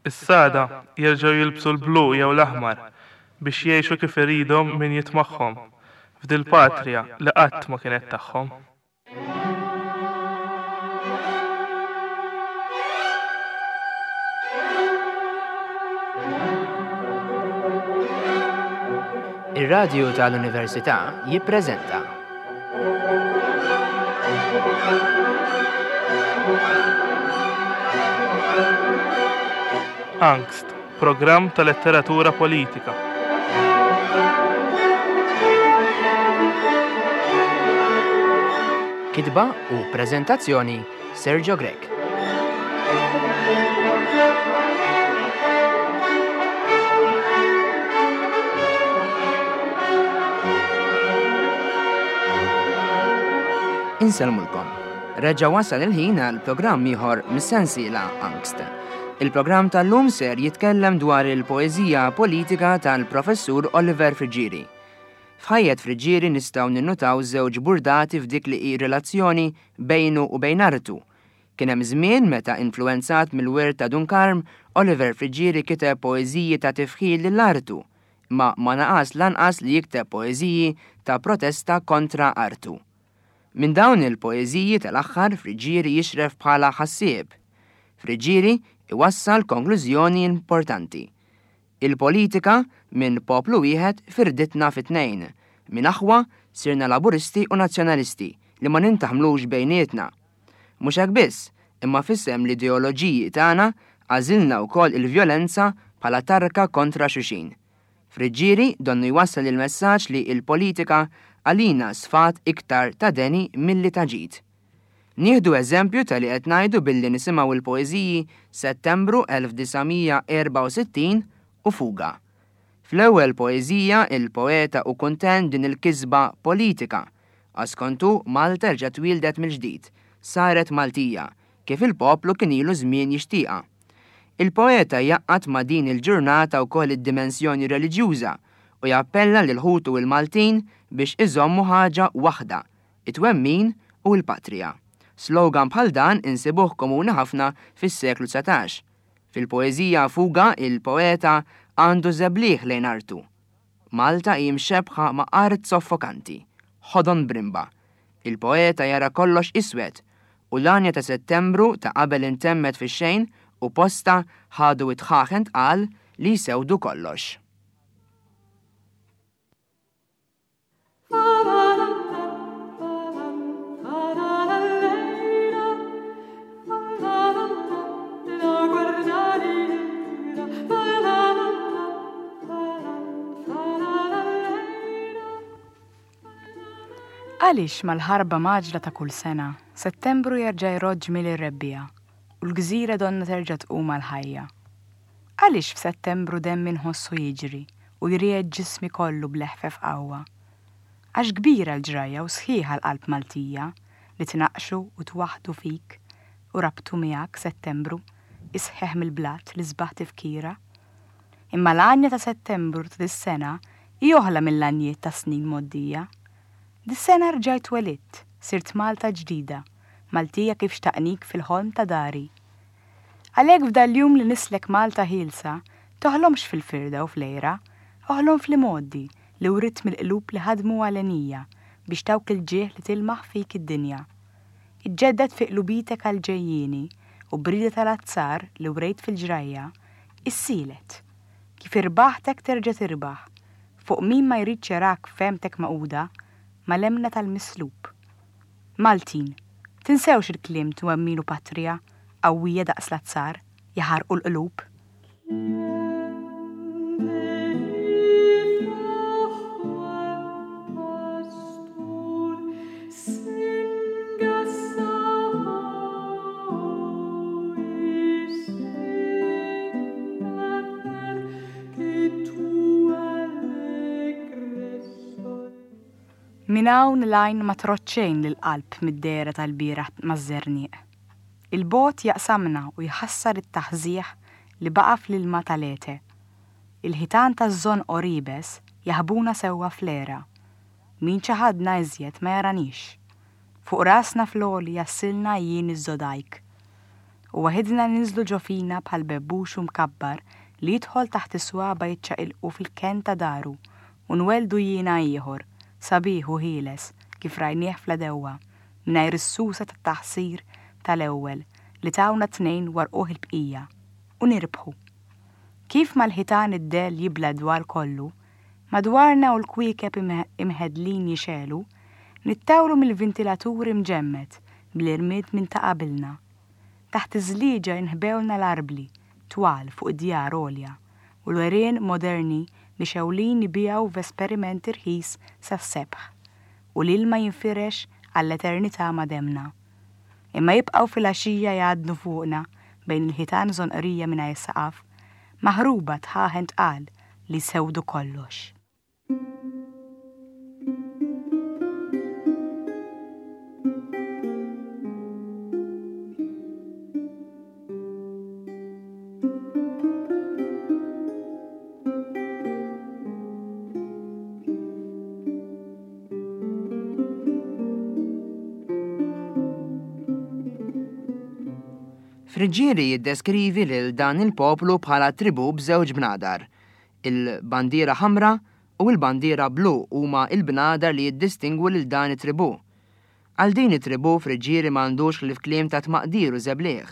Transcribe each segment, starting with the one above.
Issa għada jerġgħu jilbsu l-blu jew l-aħmar biex jgħixu kif iridhom min jitmagħhom f'dil-patria li qatt ma kienet tagħhom. Ir-Radju tal-Università jippreżenta. Angst, programm ta' letteratura politika. Kitba u preżentazzjoni Sergio Grech. Insellmulkom. Reġa' wasal il-ħin għal programm ieħor mis-sensiela Angst. Il-programm tal-lum ser jitkellem dwar il-poeżija politika tal-Professur Oliver Friggieri. F'ħajjet Friggieri nistgħu ninnutaw żewġ burdati f'dik li hi relazzjoni bejnu u bejn artu. Kien hemm żmien meta influwenzat mill-wirt ta' Dun Karm, Oliver Friggieri kiteb poeżiji ta' tifħir lil artu, imma ma naqas lanqas li jikteb poeżiji ta' protesta kontra artu. Minn dawn il-poeżiji tal-aħħar Friggieri jixref bħala ħassieb. Friggieri iwassal konklużjoni importanti. Il-politika, minn poplu wieħed firditna fi tnejn. Minn aħwa, sirna Laburisti u Nazzjonalisti li ma nintaħmlux bejnietna. Mhux hekk biss, imma f'isem l-ideoloġiji tagħna għażilna wkoll il-vjolenza bħala tarka kontra xulxin. Friggieri donnu jwassal il-messaġġ li l-politika għalina sfat iktar ta' deni milli ta' ġid. Nieħdu eżempju ta' li qed ngħidu billi nisimgħu l-poeżiji Settembru 1964 u Fuga. Fl-ewwel poeżija il-poeta hu kuntent b'din il-kisba politika, għax skont hu Malta reġgħet twieldet mill-ġdid, saret Maltija, kif il-poplu kien ilu żmien jixtieqha. Il-poeta jgħaqqad ma' din il-ġurnata wkoll id-dimensjoni reliġjuża u jappella lil ħutu l-Maltin biex iżommu ħaġa waħda, it-twemmin u l-patrija. Slogan bħal dan insibuh komuni ħafna fis-seklu 19. Fil-poeżija Fuga il-poeta għandu żebliħ lejn artu. Malta hi mxebbħa ma' art soffokanti, ħodon brimba. Il-poeta jara kollox iswed u l-għanja ta' Settembru ta' qabel intemmet fix-xejn u postha ħadu d-dħaħen tqal li jsewdu kollox. Għaliex mal-ħarba mgħaġġla ta' kull sena, Settembru jerġa' jrodd ġmiel ir-rebbiegħa u l-gżira donnha terġa' tqum għall-ħajja? Għaliex f'Settembru demmi nħossu jiġri u jriegħed ġismi kollu bl-eħfef qawwa? Għax kbira l-ġrajja u sħiħa l-qalb Maltija li tnaqqxu u twaħħdu fik u rabtu miegħek Settembru isħeħ mill-blat l-isbaħ tifkira. Imma l-għanja ta' Settembru ta' dis-sena hi oħla mill-għanjiet tas-snin mgħoddija. Dis-sena rġajt twelidt, sirt Malta ġdida, Maltija kif xtaqnik fil-ħolm ta' dari. Għalhekk f'dal-jum li nislek Malta ħielsa, toħlomx fil-firda u fl-għira, oħlom fl-imgħoddi li writt mill-qlub li ħadmu għalenija biex tawk il-ġieħ li tilmaħ fik id-dinja. Iġġedded fi qlubitek għall-ġejjieni u b'rieda tal-azzar li wrejt fil-ġrajja, issielet. Kif irbaħt hekk terġa' tirbaħ. Fuq min ma jridx jarak f'fehmtek magħquda mal-emmna tal-mislub. Maltin, tinsewx il-kliem twemmin u patrija, qawwija daqs l-azzar, jaħarqu l-qlub. Minn hawn l-għajn ma trodd xejn lill-qalb mid-dehra tal-bieraħ maż-żerniq. Il-bogħod jaqsamna u jħassar it-taħżiħ li baqa' fl-ilma ta' Lethe. Il-ħitan taż-żonqor iebes jaħbuna sewwa fl-għera. Min ċaħadna iżjed ma jaraniex. Fuq rasna fl-għoli jgħassilna għajjien iż-żodajk. U waħidna ninżlu ġo fina bħal bebbuxu mkabbar li jidħol taħt is-swaba' jiċċaqilqu fil-kenn ta' daru u nwelldu jiena ieħor, sabiħ u ħieles kif rajnieh fl-għedewwa, mingħajr is-susa tat-taħsir tal-ewwel li tawna t-tnejn warquh il-bqija. U nirbħu. Kif mal-ħitan id-dell jibla' d-dwal kollu, madwarna u l-kwiekeb imħeddlin jixegħlu, nittawlu mill-vintilatur imġemmed bl-irmied minn ta' qabilna. Taħt iż-żlieġa inħbewlna l-arbli twal fuq id-djar għolja u l-għerien moderni mixgħulin ibigħu v'esperiment irħis sas-sebħ u l-ilma jinfirex għall-eternità ma' demmna. Imma jibqgħu filgħaxija jgħaddnu fuqna bejn il-ħitan żonqrija mingħajr saqaf, maħruba dħaħen tqal li jsewdu kollox. Friggieri jiddeskrivi lil dan il-poplu bħala tribù b'żewġ bnadar. Il-bandiera ħamra u l-bandiera blu huma l-bnadar li jiddistingwu lil dan it-tribù. Għal din it-tribù Friggieri ma għandux ħlief kliem ta' tmaqdir u żebliħ.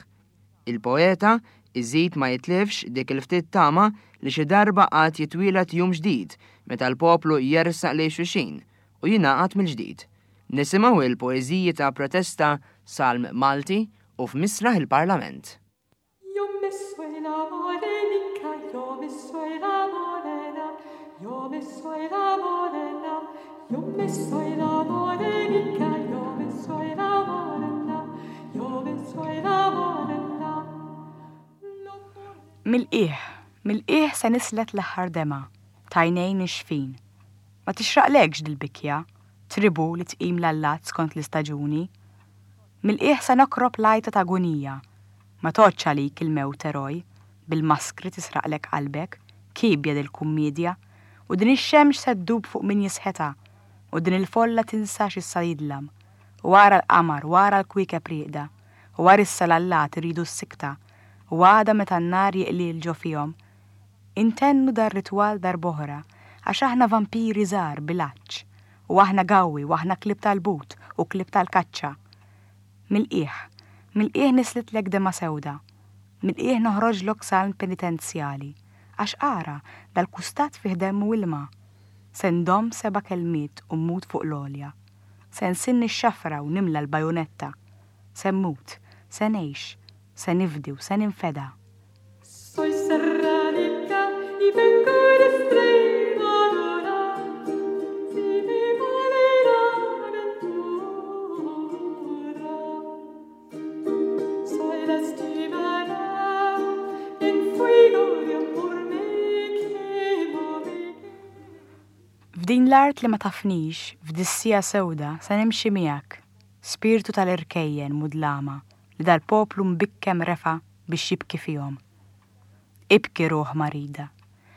Il-poeta iżid ma jitlifx dik il-ftit tama li xi darba għad jitwieled jum ġdid meta l-poplu jersaq lejn xulxin u jingħaqad mill-ġdid. Nisimgħu il-poeżiji ta' protesta Salm Malti u F'Misraħ il-Parlament. Yo me soy la morenica, yo me soy la morena, yo me soy la morena, yo me soy la morenica, yo me soy la morena, yo me soy la morena. Mill-qiegħ, mill-qiegħ se nislet l-aħħar demgħa t'għajnejn nixfin. Ma tixraqlekx dil-bikja, tribù li tqim l-allat skont l-istaġuni. Mill-qiegħ se nokrob l-għajta t'agunija. Ma tgħoddx għalik il-mewt eroj, bil-maskri tisraqlek qalbek, kiebja dil-kummiedja, u din ix-xemx se ddub fuq min jisħetha, u din il-folla tinsa x'issa jidlam, u ara l-qamar u ara l-kwiekeb rieqda, u ara issa l-allat iridu s-sikta, u għada meta n-nar jiqliel ġo fihom, intennu dar-ritwal darb'oħra, għax aħna vampiri żgħar bil-għatx, u aħna gawwi u aħna klieb tal-but u klieb tal-kaċċa. Mill-qiegħ, mill-qiegħ nislitlek demgħa sewda. Mill-qiegħ noħroġlok salm penitenzjali. Għax ara, dal-kustat fih demm u ilma. Se ndomm seba' kelmiet u mmut fuq l-għolja. Se nsinn ix-xafra u nimla l-bajunetta. Se mmut, se ngħix, se nifdi u se ninfeda. Soy serranica y vengo de Extremadura, si me vale la aventura. Soy la estivada, en fuego de amor me quemo, me quemo. F'din l-art li ma tafnix, f'dis-siegħa sewda, se nimxi miegħek, spirtu tal-irkejjen mudlama li dal-poplu mbikkem refa' biex jibki fihom. Ibki ruħ marida.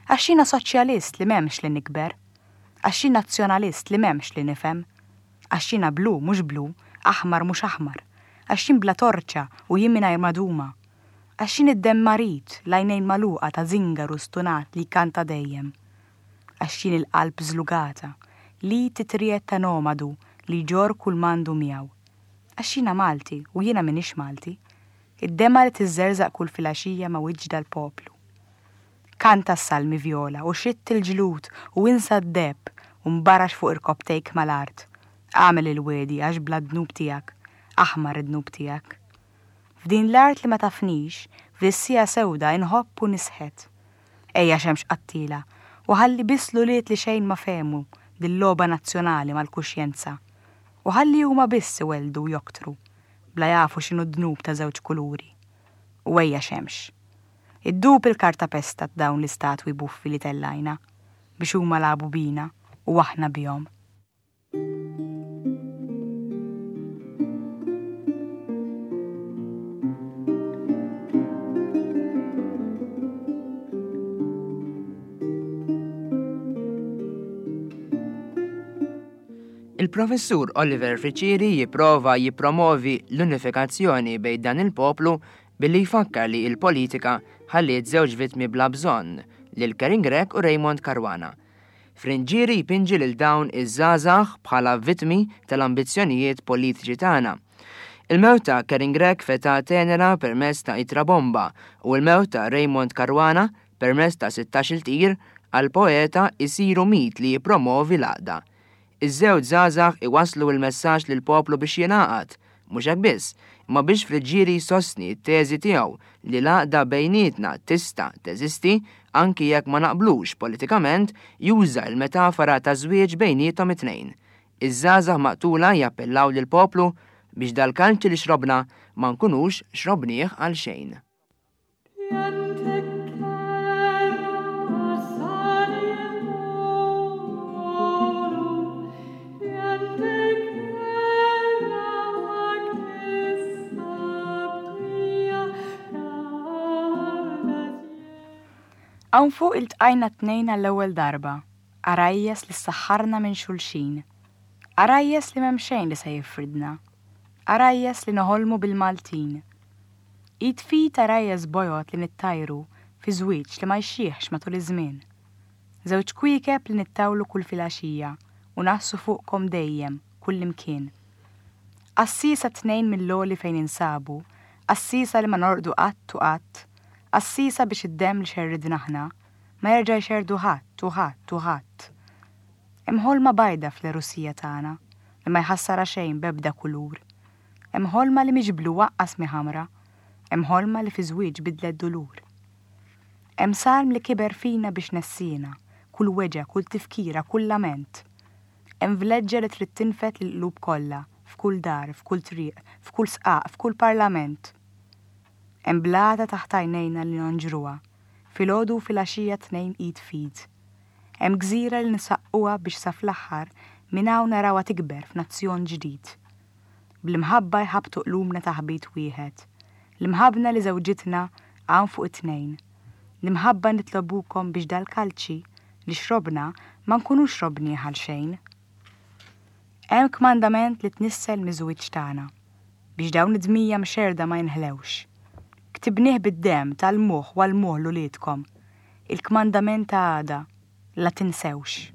Għax jiena soċjalist li m'hemmx li nikber. Għax jien nazzjonalist li m'hemmx li nifhem. Għax jiena blu mhux blu, aħmar mhux aħmar. Għax jien bla torċa u jien mingħajr maduma. Għax jien id-demm marid, l-għajnejn magħluqa ta' żingaru stunat li jkanta dejjem. Għax jien il-qalb żlugata, l-id titriegħed ta' nomadu li jġorr kull m'għandu miegħu. Għax jiena Malti u jiena m'iniex Malti. Id-demgħa li tiżżerżaq kull filgħaxija ma' wiċċ dal-poplu. Kanta s-salmi vjola u xitt il-ġlud u insa d-deheb u nbarax fuq irkopptejk mal-art. Agħmel il-wegħdi għax bla dnub tiegħek, aħmar id-dnub tiegħek. F'din l-art li ma tafnix, f'dis-siegħa sewda inħobb u nisħet. Ejja xemx qattiela u ħalli biss l-ulied li xejn ma fehmu dil-logħba nazzjonali mal-kuxjenza. U ħalli huma biss iwelldu u joktru. bla jafu x'inhu d-dnub ta' żewġ kuluri. U ejja xemx. Iddub il-kartapesta ta' dawn l-istatwi buffi li tellajna, biex huma lagħbu bina u aħna bihom. Il-Professur Oliver Friccieri jipprova jippromovi l-unifikazzjoni bejn dan il-poplu billi jfakkar li l-politika ħalliet żewġ vittmi bla bżonn, lil Karin Grech u Raymond Caruana. Friggieri jpinġi lil dawn iż-żgħażagħ bħala vittmi tal-ambizzjonijiet politiċi tagħna. Il-mewt ta' Karin Grech f'età tenera permezz ta' ittra bomba u l-mewt ta' Raymond Caruana permezz ta' sittax-il tir, għall-poeta jsiru mit li jippromovi l-għaqda. Iż-żewġ żgħażagħ iwasslu l-messaġġ lill-poplu biex jingħaqad, mhux hekk biss, imma biex Friggieri jsostni t-teżi tiegħu li l-għaqda bejnietna tista' teżisti anki jekk ma naqblux politikament, juża l-metafora taż-żwieġ bejniethom it-tnejn. Iż-żgħażagħ maqtula jappellaw lill-poplu biex dal-kalċi li xrobna ma nkunux xrobnieh għalxejn. Hawn fuq iltqajna t-tnejn għall-ewwel darba, għarajjes li ssaħħarna minn xulxin. Għarajjes li m'hemm xejn li se jifridna. Għarajjes li noħolmu bil-Maltin. Id f'id għarajjes bojod li nittajru fi żwieġ li ma jxieħx matul iż-żmien. Żewġ kwiekeb li nittawlu kull filgħaxija u ngħassu fuqkom dejjem, kullimkien. Għassiesa tnejn mill-għoli fejn ninsabu, għassiesa li ma norqdu qatt u qatt, għassiesa biex id-demm li xerridna aħna, ma jerġa' jxerrdu ħadd u ħadd u ħadd. Hemm ħolma bajda fl-għerusija tagħna li ma jħassarha xejn b'ebda kulur. Hemm ħolma li mhix blu aqqas mhi ħamra. Hemm ħolma li fi żwieġ bidlet dulur. Hemm salm li kiber fina biex nessiena kull weġgħa, kull tifkira, kull lament. Hemm vleġġa li trid tinfed lill-qlub kollha, f'kull dar, f'kull triq, f'kull sqaq, f'kull parlament. Hemm blata taħt għajnejna li nonġruha, filgħodu u filgħaxija tnejn id f'id. Hemm gżira li nisaqquha biex sa fl-aħħar minn hawn narawha tikber f'nazzjon ġdid. Bl-imħabba jħabbtu qlubna taħbit wieħed. L-imħabbna li żewġitna hawn fuq it-tnejn. L-imħabba nitlobukom biex dal-kalċi li xrobna ma nkunux xrobnieh għal xejn. Hemm kmandament li tnissel miż-żwieġ tagħna, biex dawn id-dmija mxerrda ma jinħlewx. Ktibnieh bid-demm, tgħallmuh u għallmuh 'l uliedkom. Il-kmandament ta' għada, la tinsewx.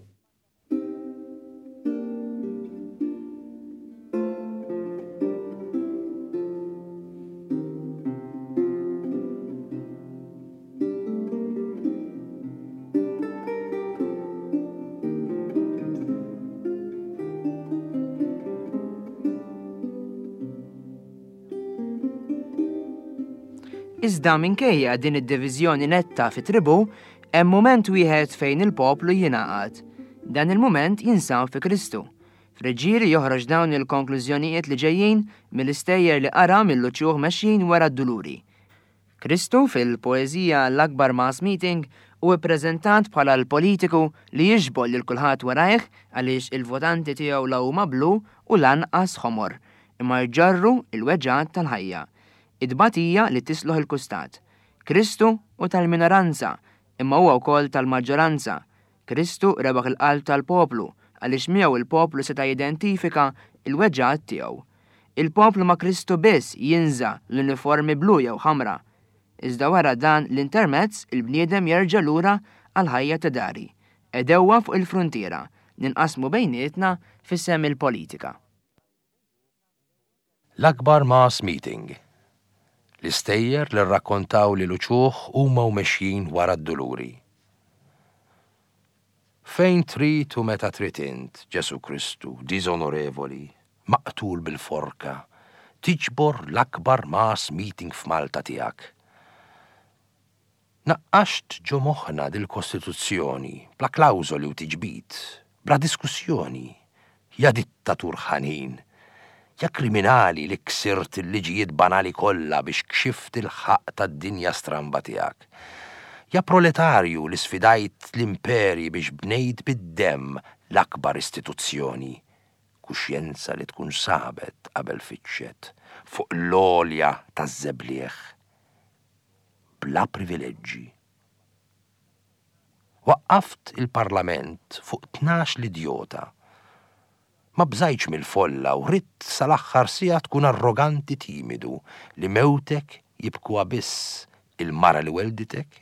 Iżda minkejja din id-diviżjoni netta fi tribù, hemm mument wieħed fejn il-poplu jingħaqad. Dan il-mument jinsab fi Kristu. Friggieri joħroġ dawn il-konklużjonijiet li ġejjin mill-istejjer li qara mill-uċuħ mexjin wara d-duluri. Kristu fil-poeżija L-Akbar Mass Meeting hu ppreżentat bħala l-politiku li jiġbor lil kulħadd warajh għaliex il-votanti tiegħu la huma blu u lanqas ħomor, imma jġorru l-weġgħat tal-ħajja, it-tbatija li tisloħ il-kustat. Kristu hu tal-minoranza, imma huwa wkoll tal-maġġoranza. Kristu rebaħ il-qalb tal-poplu għaliex miegħu l-poplu seta' jidentifika l-weġgħat tiegħu. Il-poplu ma' Kristu biss jinża' l-uniformi blu jew ħamra. Iżda wara dan l-intermezz il-bniedem jerġa' lura għall-ħajja ta' dari, għedewwa fuq il-fruntiera, ninqasmu bejnietna f'isem il-politika. L-akbar mass meeting. L-istejjer li rrakkontaw li l-uċuħ huma u mexjin wara d-duluri. Fejn trid u meta trid int, Ġesù Kristu, diżonorevoli, maqtul bil-forka, tiġbor l-akbar mass meeting f'Malta tiegħek. Naqqaxt ġo moħħna dil-Kostituzzjoni bla klawżoli u tiġbid, bla diskussjoni. Ja dittatur ħanin! Ja kriminali li ksirt il-liġijiet banali kollha biex kxift il-ħaqq tad-dinja stramba tiegħek. Ja proletarju li sfidajt l-imperji biex bnejt bid-demm l-akbar istituzzjoni. Kuxjenza li tkun sabet qabel fittxet fuq l-għolja taż-żebliegħ. bla privileġġi. Waqqaft il-Parlament fuq 12 l-idjota. Ma bżajtx mill-folla u ridt sal-aħħar siegħa tkun arroganti timidu li mewtek Jibkuha biss il-mara li wellditek,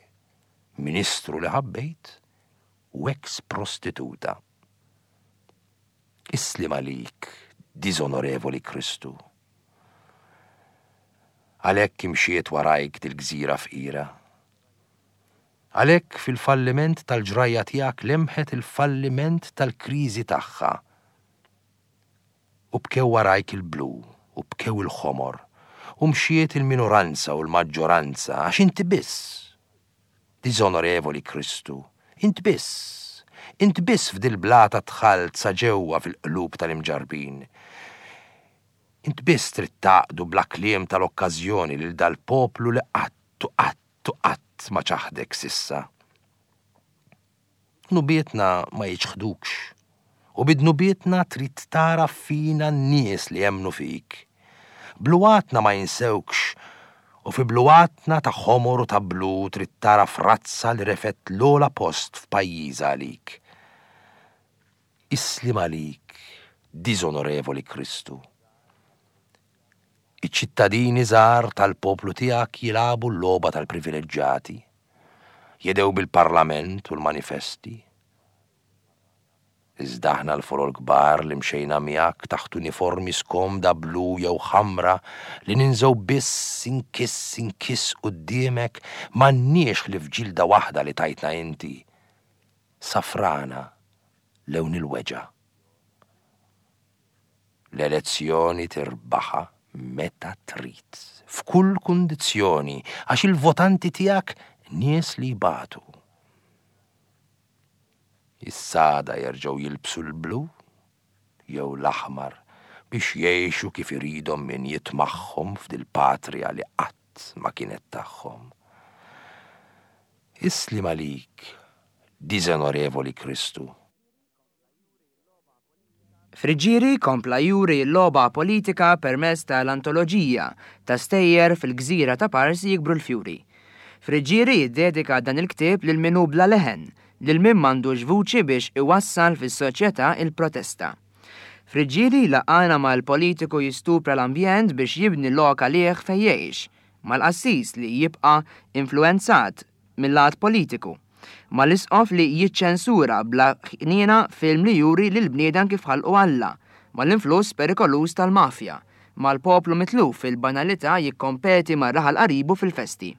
ministru li ħabbejt u eks prostituta. Is-sliem għalik, diżonorevoli Kristu. Għalhekk imxiet warajk dil-gżira fqira. Għalhekk fil-falliment tal-ġrajja tiegħek lemħet il-falliment tal-kriżi tagħha. U bkew warajk il-blu u bkew il-ħomor u mxiet il-minoranza u l-maġġoranza għax inti biss, diżonorevoli Kristu, int biss, int biss f'dil-blata dħalt sa ġewwa fil-qlub tal-imġarrbin. Int biss trid tgħaqqdu bla kliem tal-okkażjoni lil dal-poplu li qatt u qatt u qatt ma ċaħdek s'issa. Dnubietna ma jiċħdukx, u bi dnubietna trid tagħraf fina n-nies li emmnu fik. Bluwatna ma jinsewkx, u fi bluwatna ta' ħomor u ta' blu trid tagħraf razza li refgħet l-ogħla post f'pajjiżha għalik. Is-sliem għalik, diżonorevoli Kristu. Iċ-ċittadini żgħar tal-poplu tiegħek jilagħbu l-logħba tal-privileġġati. Jedhew bil-parlament u l-manifesti. Iżda aħna l-folol kbar li mxejna miegħek taħt uniformi skomda blu jew ħamra li ninżgħu biss inkiss inkiss quddiemek m'għandniex ħlief ġilda waħda li tajtna inti, safrana lewn il-weġgħa. L-elezzjoni tirbaħha meta trid, f'kull kundizzjoni, għax il-votanti tiegħek nies li jbatu. Issa għada jerġgħu jilbsu l-blu jew l-aħmar biex jgħixu kif iridhom min jitmagħhom f'dil-patria li qatt ma kienet tagħhom. Is-sliem għalik, diżonorevoli Kristu. Friggieri kompla juri l-logħba politika permezz ta' l-antoloġija ta' stejjer Fil-Gżira ta' Parsi Jikbru l-Fjuri. Friggieri jiddedika dan il-ktieb lil min hu bla leħen, lil min m'għandux vuċi biex iwassal fis-soċjetà il-protesta. Friggieri jlaqqagħna mal-politiku jistupra l-ambjent biex jibni lok għalih fejn jgħix, mal-qassis li jibqa' influwenzat mil-lat politiku, mal-isqof li jiċċensura bla ħniena film li juri lill-bniedem kif ħalqu Alla, mal-influss perikoluż tal-mafja, mal-poplu mitluf fil-banalità jikkompeti ma' raħal qaribu fil-festi.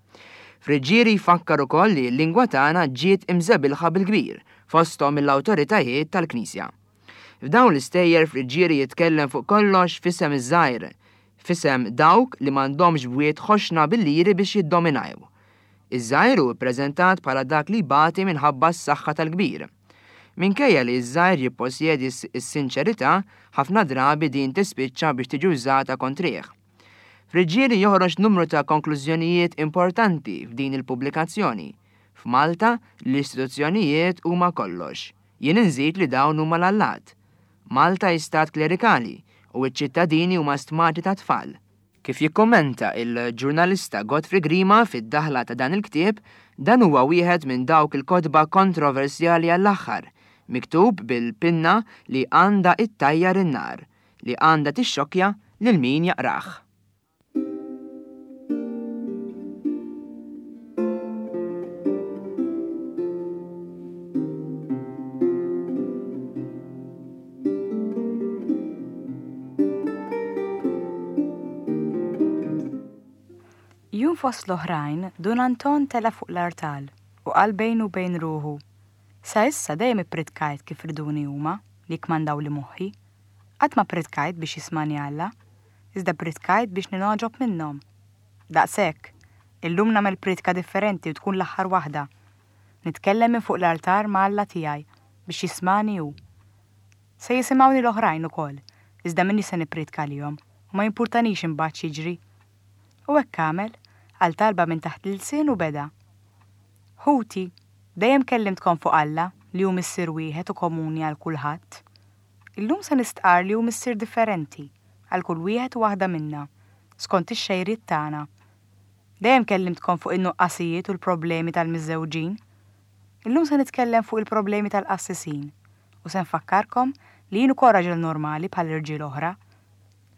Friggieri jfakkar ukoll li l-lingwa tagħna ġiet imżebilħa bil-kbir, fosthom mill-awtoritajiet tal-Knisja. F'dawn l-istejjer Friggieri jitkellem fuq kollox f'isem iż-żgħir, f'isem dawk li m'għandhomx bwiet ħoxna bil-liri biex jiddominaw. Iż-żgħir hu ppreżentat bħala dak li jbati minħabba s-saħħa tal-kbir. Minkejja li ż-żgħir jipposjedi s-sinċerità, ħafna drabi din tispiċċa biex tiġi wżata kontrih. Friggieri joħroġ numru ta' konklużjonijiet importanti f'din il-pubblikazzjoni. F'Malta, l-istituzzjonijiet huma kollox. Jien inżid li dawn huma l-allat. Malta hi stat klerikali u ċ-ċittadini huma stmati ta' tfal. Kif jikkummenta il-ġurnalista Godfrey Grima fid-daħla ta' dan il-ktieb, dan huwa wieħed minn dawk il-kotba kontroversjali għall-aħħar, miktub bil-pinna li għandha ittajjar in-nar, li għandha tixxokkja lil min jaqrah. Jum fost l-oħrajn, Dun Anton tela' fuq l-artal u qal bejnu u bejn ruħu, Sa issa dejjem ippritkajt kif riduni huma li jikkmandawli moħħi. Qatt ma ppritkajt biex jismagħni Alla, iżda ppritkajt biex ningħoġob minnhom. Daqshekk, illum nagħmel prietka differenti u tkun l-aħħar waħda. Nitkellem minn fuq l-artar ma' Alla tiegħi biex jismagħni hu. Se jisimgħuni l-oħrajn ukoll, iżda m'iniex se nipprietka għalihom u ma jimpurtanix imbagħad x'jiġri. U hekk għamel, qal talba minn taħt l-ilsien u beda. Ħuti, dejjem kellimtkom fuq Alla li hu Missier wieħed u komuni għal kulħadd. Illum se nistqarr li hu Missier differenti għal kull wieħed u waħda minna, skont ix-xejriet tagħna. Dejjem kellimtkom fuq in-nuqqasijiet u l-problemi tal-miżżewġin. Illum se nitkellem fuq il-problemi tal-qassisin u se nfakkarkom li jien ukoll raġel normali bħal irġiel oħra.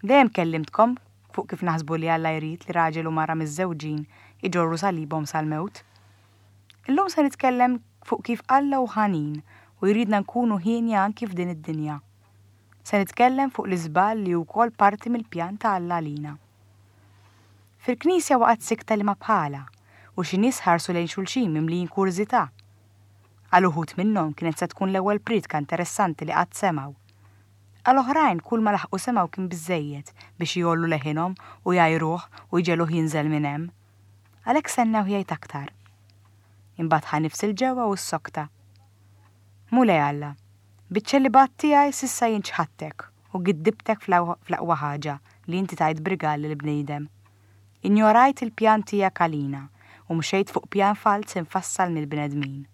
Dejjem kellimtkom fuq kif naħsbu li Alla jrid li raġel u mara miżżewġin iġorru salibhom sal-mewt. Illum se nitkellem fuq kif Alla hu ħanin u jridna nkunu hienja anki f'din id-dinja. Se nitkellem fuq l-iżball li hu wkoll parti mill-pjan ta' Alla għalina. Fil-knisja waqgħet sikta li ma bħalha u xi nies ħarsu lejn xulxin mimlijin kurżità. Għal uħud minnhom kienet se tkun l-ewwel prietka interessanti li qatt semgħu. Għal oħrajn kulma laħqu semgħu kien biżżejjed biex jgħollu leħinhom u jgħajruh u jġegħluh jinżel minn hemm. Għalhekk stennewh jgħid aktar. Imbagħad ħa nifs 'il ġewwa u ssokta. Mulej Alla, biċ-ċelibat tiegħi s'issa jien ċħadtek u giddibtek fl-aqwa ħaġa li inti tajt b'rigal lill-bniedem. Injorajt il-pjan tiegħek għalina u mxejt fuq pjan falz imfassal mill-bnedmin.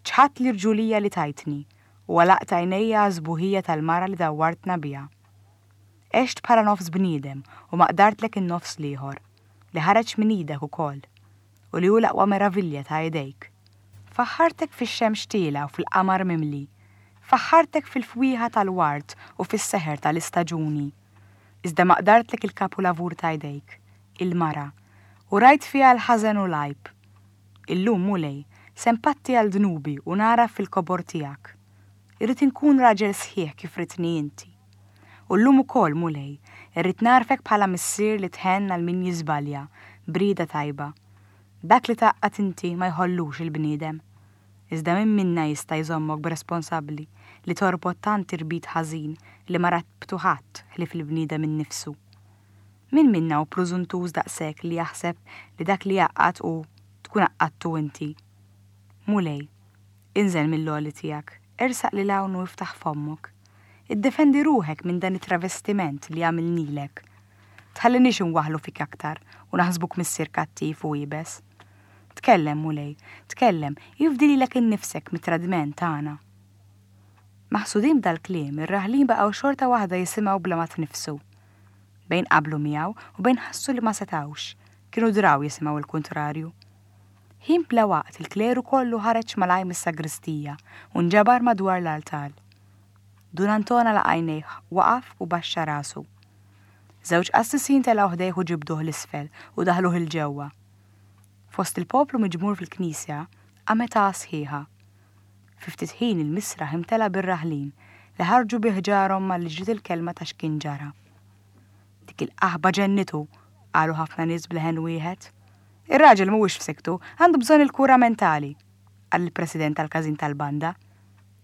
Ċħadt l-irġulija li tajtni u għalaqt għajnejja għas-sbuħija tal-mara li dawwartna biha. Għext bħala nofs bniedem u ma qdartlek in-nofs l-ieħor, li ħareġ minn idek ukoll, u li hu l-aqwa meravilja ta' idejk. Faħħartek fix-xemx tielgħa u fil-qamar mimli. Faħħartek fil-fwieħa tal-ward u fis-seħer ta' l-istaġuni. Iżda ma qdartlek il-kapulavur ta' idejk, il-mara, u rajt fiha l-ħażen u l-għajb. Illum, Mulej, se npatti għal dnubi u nagħraf fil-kobor tiegħek. Irrid inkun raġel sħiħ kif ridtni inti. U llum ukoll, Mulej, irrid nagħrfek bħala Missier li tħenn għal min jiżbalja b'rieda tajba. Dak li tgħaqqad inti ma jħollux il-bniedem. Iżda min minna jista' jżommok b'responsabbli li torbot tant irbit ħażin li ma rabtu ħadd ħlief il-bniedem innifsu? Min minna hu prużuntuż daqshekk li jaħseb li dak li jgħaqqad hu tkun għaqqadtu inti? Mulej, inżel mill-għoli tiegħek, ersaq lil hawn u iftaħ fommok. Iddefendi ruħek minn dan it-travestiment li għamilnilek. Tħalliniex inwaħħlu fik aktar u naħsbuk missier kattiv u iebes. Tkellem, Mulej, tkellem, ifdi lilek innifsek mit-tradiment tagħna. Maħsudin b'dal-kliem, ir-raħlin baqgħu xorta waħda jisimgħu bla ma tniffsu. Bejn qablu miegħu u bejn ħassu li ma setgħux, kienu draw jisimgħu l-kuntrarju. Ħin bla waqt il-kleru kollu ħareġ malajr mis-sagristija u nġabar madwar l-altar. Dun Anton għalaq għajnejh, waqaf u baxxa rasu. Żewġ qassisin telgħu ħdejh u ġibduh 'l isfel u daħluh 'il ġewwa. Fost il-poplu miġmur fil-knisja qamet għagħa sħiħa. Fi ftit ħin il-misraħ imtela bir-raħlin li ħarġu bi ħġarhom malli ġiet il-kelma ta' x'kien ġara. Dik il-qaħba ġennitu, qalu ħafna nies b'leħen wieħed. Ir-raġel mhuwiex f'siktu, għandu bżonn il-kura mentali, qal il-president tal-każin tal-banda.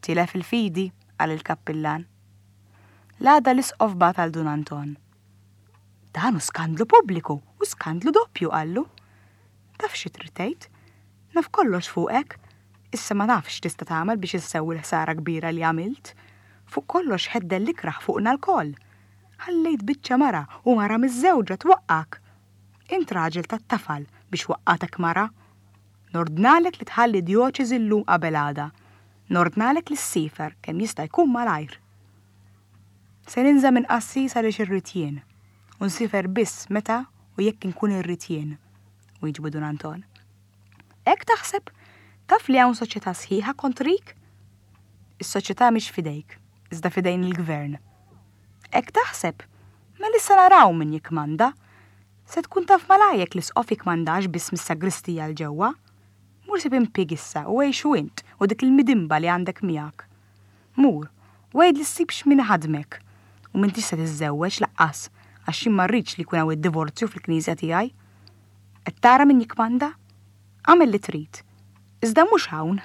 Tilef il-fidi, qal il-kappillan. L-għada l-isqof bagħat għal Dun Anton. Dan hu skandlu pubbliku u skandlu doppju, qallu. Taf xi trid tgħid? Naf kollox fuqek. Issa ma nafx x'tista' tagħmel biex issewwi l-ħsara kbira li għamilt. Fuq kollox ħeddel l-ikrah fuqna lkoll. Ħallejt biċċa mara u mara miżżewġa twaqqgħek. Int raġel tat-tafal biex waqqgħatek mara. Nordnalek li tħalli d-djoċesi llum qabel għada. Nordnalek li ssiefer kemm jista' jkun malajr. Se ninża' minn qassis għaliex irrid jien, u nsiefer biss meta u jekk inkun irrid jien, wieġbu Dun Anton. Hekk taħseb? Taf li hawn soċjetà sħiħa kontrik? Is-soċjetà mhix f'idejk, iżda f'idejn il-gvern. Hekk taħseb? Mela issa naraw min jikkmanda. Se tkun taf malajr jekk l-isqof jikkmandax biss mis-sagristija 'l ġewwa. Mur sib impieg issa u għixu int u dik il-midimba li għandek miegħek. Mur, u għid li ssibx min iħaddmek. U m'intix se tiżżewweġ laqqas, għax jien ma rridx li jkun hawn id-divorzju fil-knisja tiegħi. Qed tara min jikkmanda? Agħmel li trid. Iżda mhux hawn.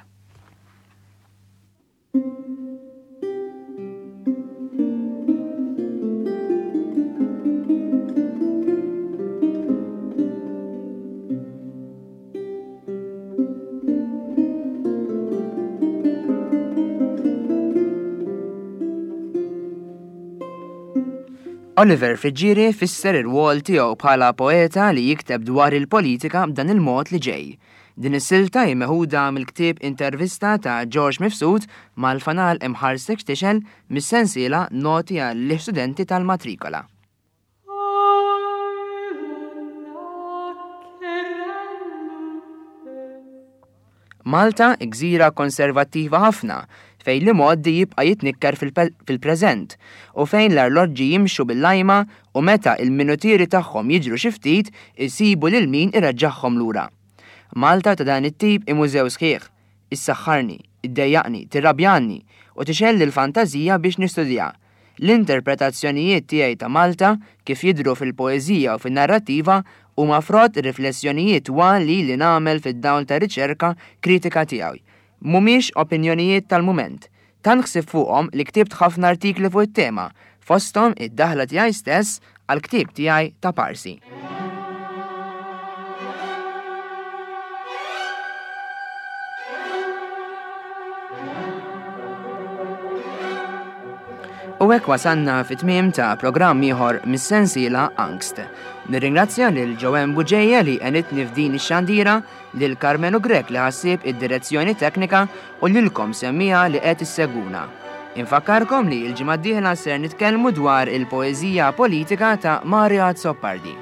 Oliver Friggieri fisser ir-rwol tiegħu bħala poeta li jikteb dwar il-politika b'dan il-mod li ġej. Din is-silta hi meħuda mill-ktieb Intervista ta' George Mifsud mal-Fanal Imħarsek X'Tixgħel mis-sensiela Noti għall-Istudenti tal-Matrikola. Malta, gżira konservattiva ħafna, fejn l-imgħoddi jibqa' jitnikker fil-preżent u fejn l-arloġġi jimxu bil-lajma u meta l-minutieri tagħhom jiġru xi ftit isibu lil min ireġġagħhom lura. Malta ta' dan it-tip hi mużew sħiħ. Issaħħarni, iddejjaqni, tirrabjani u tixgħelli l-fantażija biex nistudjaha. L-interpretazzjonijiet tiegħi ta' Malta, kif jidhru fil-poeżija u fin-narrattiva, huma frott riflessjonijiet twal li ili nagħmel fid-dawl tar-riċerka kritika tiegħi. Mhumiex opinjonijiet tal-mument. Tant ħsibt fuqhom li ktibt ħafna artikli fuq it-tema, fosthom id-daħla tiegħi stess għall-ktieb tiegħi ta' Parsi. U hekk wasalna fit-tmiem ta' programm ieħor mis-sensiela Angst. Nirringrazzja lil Joanne Buġeja li għenitni f'din ix-xandira, lil Karmenu Grech li ħassieb id-direzzjoni teknika u lilkom semmiegħa li qed issegwuna. Infakkarkom li l-ġimgħa d-dieħla ser nitkellmu dwar il-poeżija politika ta' Mario Azzopardi.